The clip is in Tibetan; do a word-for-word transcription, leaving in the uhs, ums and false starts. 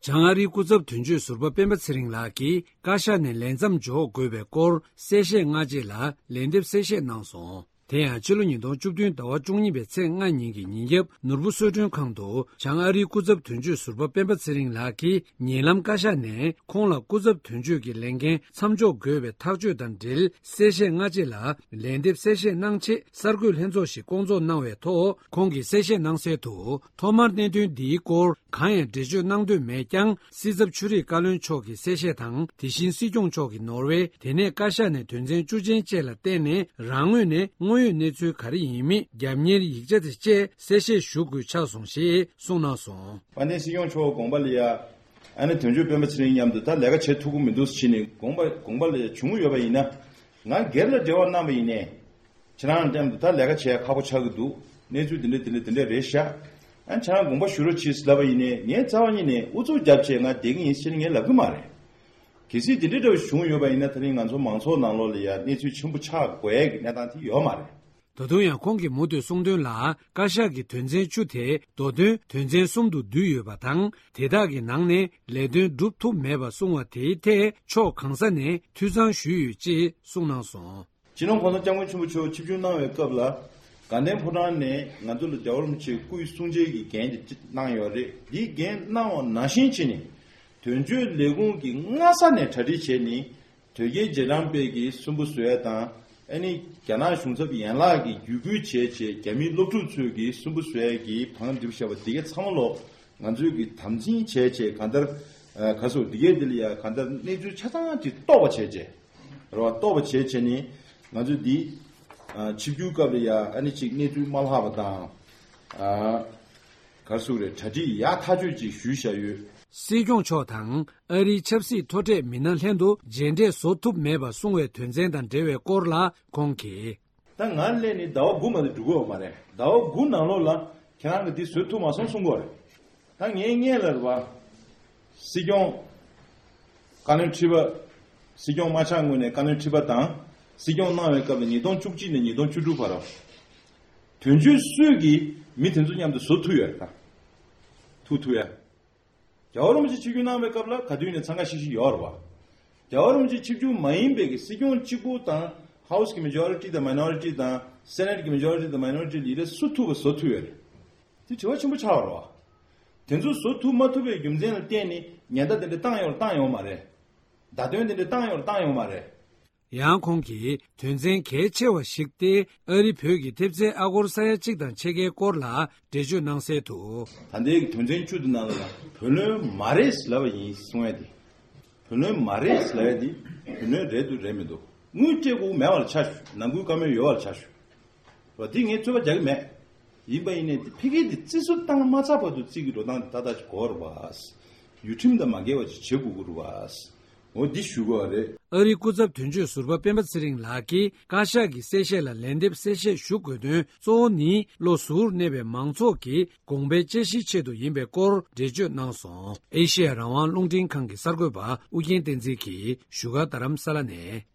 བྱང་ཨ་རིའི་སྐུ་ཚབ་དོན་གཅོད་ཟུར་པ་སྤེན་པ་ཚེ་རིང་ལགས་ཀྱིས་བཀའ་ཤག་ནས་ལས་མཚམས་འཇོག་དགོས་པའི་སྐོར་གསལ་བཤད་སྔ་རྗེས་ལ་ལན་འདེབས་གསལ་བཤད་གནང་སོང་། དེ་ཡང་ཕྱི་ལོ་ཉིས་སྟོང་བཅུ་བདུན་ཟླ་བ་བཅུ་གཉིས་པའི་ཚེས་ལྔ་ཉིན་གྱི་ཉིན་རྒྱབ་ནོར་བུ་གསོལ་མགྲོན་ཁང་དུ་བྱང་ཨ་རིའི་སྐུ་ཚབ་དོན་གཅོད་ཟུར་པ་སྤེན་པ་ཚེ་རིང་ལགས་ཀྱིས་ཉེ་ལམ་བཀའ་ཤག་ནས་ཁོང་ལ་སྐུ་ཚབ་དོན་གཅོད་ཀྱི་ལས་འགན་མཚམས་འཇོག་དགོས་པའི་ཐག་གཅོད་དང་འབྲེལ་གསལ་བཤད་སྔ་རྗེས་ལ་ལན་འདེབས་གསལ་བཤད་གནང་ཆེད་གསར་འགོད་ལྷན་ཚོགས་ཤིག་བསྐོང་ཚོགས་གནང་བའི་ཐོག་ཁོང་གིས་གསལ་བཤད་གནང་གསལ་དུ། ཐོག་མར་གནད་དོན་འདིའི་སྐོར་གང་ཡང་འགྲེལ་བརྗོད་གནང་འདོད་མེད་ཀྱང་། སྲིད་ཚབ་ཆོས་རིག་བཀའ་བློན་མཆོག་གི་གསལ་བཤད་དང་། དེ་བཞིན་སྲིད་སྐྱོང་མཆོག་གིས་ནོར་ཝེ་དེ་ནས་བཀའ་ཤག་ནས་དོན་ཚན་བཅུ་ཅན་བཅས་ལ་བརྟེན་ནས་རང་ངོས་ནས་དངོས་ཡོད་གནས་ཚུལ་ག་རེ་ཡིན་མིན་རྒྱབ་གཉེར་ཡིག་ཆ་དེ་བཅས་གསལ་བཤད་ཞུ་དགོས་ཆགས་སོང་ཞེས་གསུངས་གནང་སོང་། དཔལ་ལྡན་སྲིད་སྐྱོང་མཆོག་དགོངས་པ་ལ་ཡ། ཨ་ནི་དོན་གཅོད་སྤེན་པ་ཚེ་རིང་མཉམ་དུ་ད་ལས་ཀ་བྱེད་ཐུབ་ཀྱི་མི་འདུག་ཟེར་ནས་དགོངས་པ་དགོངས་པ་ལ་ཡ་བྱུང་ཡོད་པ་ཡིན་ན། ང་སྒེར་ལ་འབྲེལ་བ་གནང་བ་ཡིན་ནའི། ཁྱེད་རང་མཉམ་དུ་ད་ལས་ཀ་བྱེད་ཡ་ཁག་པོ་ཆགས་ཀྱི་འདུག་གནས་ཚུལ་འདི་འདྲ་འདི་འདྲ་འདི་འདྲ་རེད་ཤག་ཨ་ཁྱེད་རང་དགོངས་པ་ཞུ་རོགས་གྱིས་ལབ་པ་ཡིན་ནའི་ངས་རྩ་བ་ཉིད་ནས་ཨུ་ཚུགས་རྒྱབ་བྱས་ང་བསྡད་ཀྱི་ཡིན་ཟེར་ནས་ངས་ལབ་ཀྱི་མ་རེད། གལ་སྲིད་འདི་འདྲ་འདྲ་བ་བྱུང་ཡོད་པ་ཡིན་ན་ད་རིང་ང་ཚོ་མང་ཚོགས་ནང་ལོགས་ལ་ཡ་གནས་ཚུལ་ཆེན་པོ་ཆགས་དགོས་ཡ་གི་གནས་སྟངས་དེ་ཡོད་མ་རེད། ད་དུང་ཡང་ཁོང་གིས་མུ་མཐུད་གསུངས་དོན་ལ། བཀའ་ཤག་གི་དོན་ཚན་བཅུ་དེ་མདོ་དོན་དོན་ཚན་གསུམ་དུ་བསྡུས་ཡོད་པ་དང་། དེ་དག་གི་ནང་ནས་ལས་དོན་སྒྲུབ་ཐུབ་མེད་པ་གསུང་བ་དེའི་ཐད་ཕྱོགས་གང་ས་ནས་འཐུས་ཚང་ཞུས་ཡོད་ཅེས་གསུངས་གནང་སོང་། སྤྱི་ནོར་༸གོང་ས་༸སྐྱབས་མགོན་ཆེན་པོ་མཆོག་ཆིབས་བསྒྱུར་གནང་བའི་སྐབས་ལ། དགའ་ལྡན་ཕོ་བྲང་ནས་ང་ཚོ་ལ་རྒྱལ་བ་རིན་པོ་ཆེའི་སྐུའི་གསུང་ཆོས་ཀྱི་འགན་དེ་གནང་ཡོད་རེད། འདིའི་འགན་གནང་བ་ནང་བཞིན་བྱས་ནས། དོན་གཅོད་ལས་ཁུངས་ཀྱིས་སྔ་ས་ནས་གྲ་སྒྲིག་བྱས་ནས། དོལ་རྒྱལ་རྗེས་འབྲང་པས་ཀྱི་སུན་པོ་བཟོ་ཡ་དང་། ཨ་ནི་རྒྱ་ནག་གཞུང་ཚབ་ཡན་ལག་གིས་བརྒྱུད་སྐུལ་བྱས་བྱས་རྒྱ་མིའི་སློབ་ཕྲུག་ཚོས་ཀྱི་སུན་པོ་བཟོ་ཡ་གི་བང་སྒྲིག་བཞག་པ་འདི་གའི་ཚང་མ་ལོག་ང་ཚོས་ཀྱི་དམ་འཛིན་བྱས་བྱས་གང་ལྟར། ཨ་ག་སོ་འདི་གའི་འདི་ལ་ཡ་གང་ལྟར་གནས་ཚུལ་ཆ་ཚང་གི་རྟོགས་པ་བྱས་བྱས། རེད་བ། རྟོགས་པ་བྱས་བྱས་ནི་ང་ཚོས་འདི། ཨ་ཆིབས་བསྒྱུར་སྐབས་ལ་ཡ་ཨ་ནི་ཅིག་གནས་ཚུལ་མ་ལྷག་པ་དང་། ཨ་ག་སོ་རེད། གྲ་སྒྲིག་ཡག་ཐག་ཆོད་ཅིག་ཞུས་བཞག་ཡོད། སྲིད་སྐྱོང་མཆོག་དང་ཨ་རིའི་ཆབ་སྲིད་མཐོ་གྲས་མི་སྣ་ལྷན་དུ་མཇལ་འཕྲད་བཟོ་ཐུབ་མེད་པ་གསུང་བའི་དོན་ཚན་དང་འབྲེལ་བའི་སྐོར་ལ་ཁོང་གིས། ད་ང་སླེབས་ནས་ཟླ་བ་དགུ་མ་གཏོགས་འགྲོ་གི་ཡོད་མ་རེད། ཟླ་བ་དགུ་ནང་ལོགས་ལ་ཁྱེད་རང་གིས་འདི་བཟོ་ཐུབ་མ་སོང་གསུང་གི་ཡོད་རེད། ད་ངའི་སྔོན་ལ་རེད་བ། སྲིད་སྐྱོང་། བཀའ་བློན་ཁྲི་པ། སྲིད་སྐྱོང་མ་ཆགས་སྔོན་ནས་བཀའ་བློན་ཁྲི་པ་དང་། སྲིད་སྐྱོང་གནང་བའི་སྐབས་ལ་ཉིས་སྟོང་བཅུ་གཅིག་ནས་ཉིས་སྟོང་བཅུ་དྲུག་བར། དོན་གཅོད་སུས་ཀྱིས་མི་དེ་ཚོ་མཉམ་དུ་བཟོ་ཐུབ་ཡོད་རེད་ད། ཐུག་ཐུབ་ཡ། རྒྱལ་བ་རིན་པོ་ཆེ་ཆིབས་བསྒྱུར་གནང་བའི་སྐབས་ལ་ག་དུས་ནས་འཚང་ཁ་ཤིག་ཤིག་ཡོད་རེད་བ། རྒྱལ་བ་རིན་པོ་ཆེ་ཆིབས་བསྒྱུར་མ་ཡིན་པའི་གི་སྲིད་སྐྱོང་གཅིག་པུ་དང་ཧའུ་སི་གི་མེ་ཇོ་རི་ཊི་དང་མའི་ནོ་རི་ཊི་དང་སེ་ནེ་ཊི་གི་མེ་ཇོ་རི་ཊི་དང་མའི་ནོ་རི་ཊི་ལ་ཡི་རེ་སུ་ཐུབ་པ་བཟོ་ཐུབ་ཡོད་རེད། དེ་དྲི་བ་ཆེན་པོ་ཆགས་པ་རེད་བ། དེ་ཚོ་བཟོ་ཐུབ་མ་ཐུབ་པའི་རྒྱུ་མཚན་ལ་བརྟེན་ནས་ཉེན་བརྡ་དེ་འདྲ་བཏང་ཡོད་རེད་བཏང་ཡོད་མ་རེད། བརྡ་དོན་དེ་འདྲ་བཏང་ཡོད་རེད་བཏང་ཡོད་མ་རེད། ཡང་ཁོང་གིས་དོན་ཚན་གལ་ཆེ་བ་ཞིག་སྟེ་ཨ་རི་བོད་ཀྱི་ཐེབས་རྩའི་ཨ་སྒོར་ས་ཡ་གཅིག་དང་ཕྱེད་ཀའི་སྐོར་ལ་འགྲེལ་བརྗོད་གནང་གསལ་དུ། ད་ལྟའི་དོན་ཚན་བཅུ་དེ་ནང་ལ་བུ་ལོན་མ་རེད་ལབ་པ་ཡིན་གསུང་ཡ་དེ། བུ་ལོན་མ་རེད་ལབ་ཡ་དེ་བུ་ལོན་རེད་འདུག་རེད་མི་འདུག་དངུལ་སྤྲད་དགོས་མེད་པ་ལ་ཆ་བཞག་ནང་ཁུལ་བཀའ་མོལ་ཡོད་པ་ལ་ཆ་བཞག་བ་དེ་ངས་རྩོད་པ་རྒྱག་གི་མེད། ཡིན་པ་ཡིན་ནའི་དེ་ཕ་གི་དེ་བརྩི་སྲོལ་བཏང་མ་ཚར་བར་དུ་བརྩི་གི་འགྲོ་སྟངས་དེ་ཏག་ཏག་ཅིག་དགོས་རེད་བ། ཡུལ་ཁྲིམས་དང་མ་འགལ་བ་ཅིག་བྱེད་དགོས་ཀྱི་རེད་བ། འོ་འདི་ཞུ་དགོས་པ་རེད། ཨ་རིའི་སྐུ་ཚབ་དོན་གཅོད་ཟུར་པ་སྤེན་པ་ཚེ་རིང་ལགས་ཀྱིས་བཀའ་ཤག་གི་གསལ་བཤད་ལ་ལན་འདེབས་གསལ་བཤད་ཞུ་དགོས་དོན་གཙོ་བོ་ནི་བློ་གཟུར་གནས་པའི་མང་ཚོགས་ཀྱི་དགོངས་པའི་དཔྱད་གཞིའི་ཆེད་དུ་ཡིན་པའི་སྐོར་འགྲེལ་བརྗོད་གནང་སོང་། ཨེ་ཤེ་ཡ་རང་དབང་རླུང་འཕྲིན་ཁང་གི་གསར་འགོད་པ་ཨུ་རྒྱན་བསྟན་འཛིན་གྱིས་བཞུགས་སྒར་རྡ་རམ་ས་ལ་ནས།